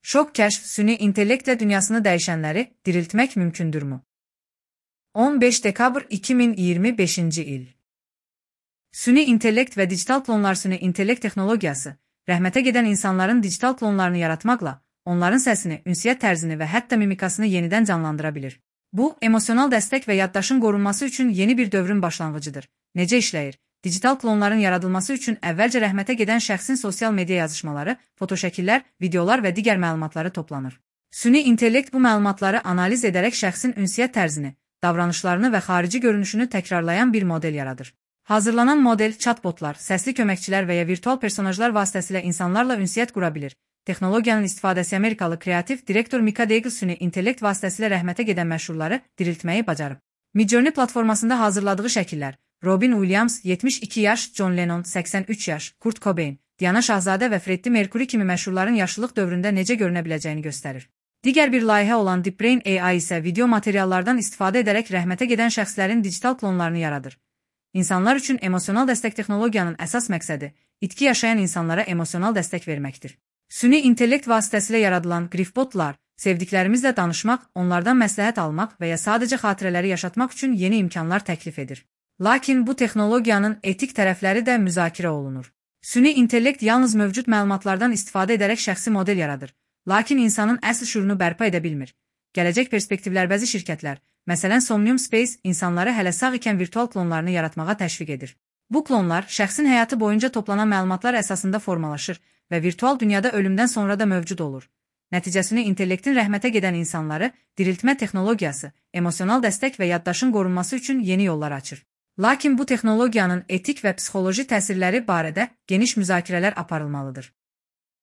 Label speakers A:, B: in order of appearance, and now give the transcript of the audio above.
A: Şok kəşf süni intellektlə dünyasını dəyişənləri diriltmək mümkündürmü? 15 dekabr 2025-ci il. Süni intellekt və digital klonlar süni intellekt texnologiyası, rəhmətə gedən insanların digital klonlarını yaratmaqla, onların səsini, ünsiyyət tərzini və hətta mimikasını yenidən canlandıra bilir. Bu, emosional dəstək və yaddaşın qorunması üçün yeni bir dövrün başlanğıcıdır. Necə işləyir? Digital klonların yaradılması üçün əvvəlcə rəhmətə gedən şəxsin sosial media yazışmaları, fotoşəkillər, videolar və digər məlumatları toplanır. Süni intellekt bu məlumatları analiz edərək şəxsin ünsiyyət tərzini, davranışlarını və xarici görünüşünü təkrarlayan bir model yaradır. Hazırlanan model, chatbotlar, səsli köməkçilər və ya virtual personajlar vasitəsilə insanlarla ünsiyyət qura bilir. Texnologiyanın istifadəsi Amerikalı kreativ direktor Mika Deagle süni intellekt vasitəsilə rəhmətə gedən məşhurları diriltməyi bacarıb. Midjourney platformasında hazırladığı şəkillər, Robin Williams 72 yaş, John Lennon 83 yaş, Kurt Cobain, Diana Şahzadə və Freddie Mercury kimi məşhurların yaşlılıq dövründə necə görünə biləcəyini göstərir. Digər bir layihə olan DeepBrain AI isə video materiallardan istifadə edərək rəhmətə gedən şəxslərin digital klonlarını yaradır. İnsanlar üçün emosional dəstək texnologiyanın əsas məqsədi itki yaşayan insanlara emosional dəstək verməkdir. Süni intellekt vasitəsilə yaradılan Griffbotlar, sevdiklərimizlə danışmaq, onlardan məsləhət almaq və ya sadəcə xatirələri yaşatmaq üçün yeni imkanlar təklif edir. Lakin bu texnologiyanın etik tərəfləri də müzakirə olunur. Süni intellekt yalnız mövcud məlumatlardan istifadə edərək şəxsi model yaradır, lakin insanın əsl şüurunu bərpa edə bilmir. Gələcək perspektivlər bəzi şirkətlər, məsələn Somnium Space, insanları hələ sağ ikən virtual klonlarını yaratmağa təşviq edir. Bu klonlar şəxsin həyatı boyunca toplanan məlumatlar əsasında formalaşır və virtual dünyada ölümdən sonra da mövcud olur. Nəticəsini intellektin rəhmətə gedən insanları diriltmə texnologiyası, emosional dəstək və yaddaşın qorunması üçün yeni yollar açır. Lakin bu texnologiyanın etik və psixoloji təsirləri barədə geniş müzakirələr aparılmalıdır.